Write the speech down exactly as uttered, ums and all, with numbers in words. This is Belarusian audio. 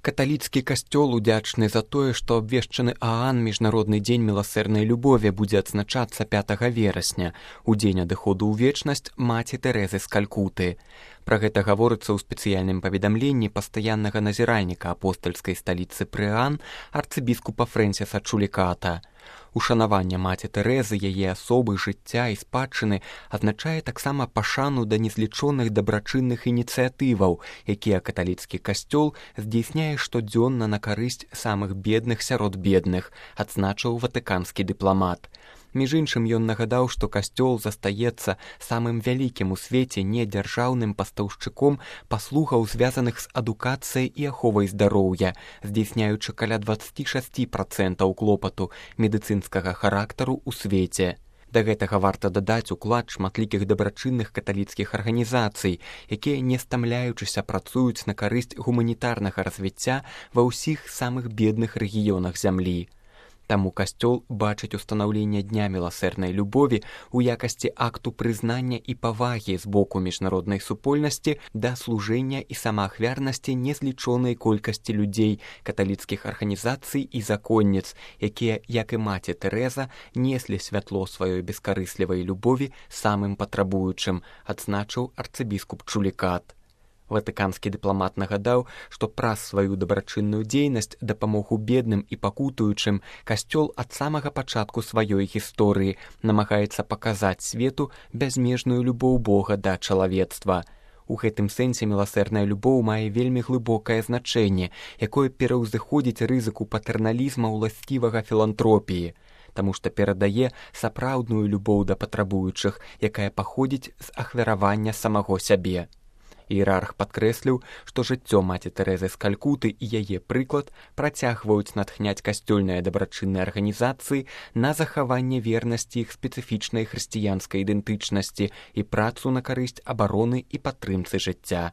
Каталіцкі касцёл удзячны за тое, што абвешчаны Аан міжнародны дзень міласэрнай любові будзе адзначацца пятага верасня, у дзень адыходу ў вечнасць маці Тэрэзы з Калькуты. Пра гэта гаворыцца ў спецыяльным паведамленні пастаяннага назіральніка апостальскай сталіцы пры Аан арцыбіскупа Фрэнсіса Чуліката. Ушанаванне маці Тэрэзы, яе асобы, жыцця і спадчыны азначае таксама пашану да незлічоных дабрачынных ініцыятываў, якія каталіцкі касцёл здзейсняе штодзённа на карысць самых бедных сярод бедных, адзначыў ватыканскі дыпламат. Між іншым, ён нагадаў, што касцёл застаецца самым вялікім у свеце недзяржаўным пастаўшчыком паслугаў, звязаных з адукацыяй і аховай здароўя, здзейсняючы каля дваццаць шэсць працэнтаў клопату медыцынскага характару ў свеце. Да гэтага варта дадаць уклад шматлікіх дабрачынных каталіцкіх арганізацый, якія, не стамляючыся, працуюць на карысць гуманітарнага развіцця ва ўсіх самых бедных рэгіёнах зямлі. Таму касцёл бачыць устанаўленне Дня міласэрнай любові ў якасці акту прызнання і павагі з боку міжнароднай супольнасці да служэння і самаахвярнасці незлічонай колькасці людзей, каталіцкіх арганізацый і законніц, якія, як і маці Тэрэза, неслі святло сваёй бескарыслівай любові самым патрабуючым, адзначыў арцыбіскуп Чулікат. Ватыканскі дыпламат нагадаў, што праз сваю дабрачынную дзейнасць, дапамогу бедным і пакутуючым, касцёл ад самага пачатку сваёй гісторыі намагаецца паказаць свету бязмежную любоў Бога да чалавецтва. У гэтым сэнсе міласэрная любоў мае вельмі глыбокае значэнне, якое пераўзыходзіць рызыку патэрналізма ўласцівага філантропіі, таму што перадае сапраўдную любоў да патрабуючых, якая паходзіць з ахвяравання самого сябе. Іерарх падкрэсліў, што жыццё маці Тэрэзы з Калькуты і яе прыклад працягваюць натхняць касцёльныя дабрачынныя арганізацыі на захаванне вернасці іх спецыфічнай хрысціянскай ідэнтычнасці і працу на карысць абароны і падтрымцы жыцця.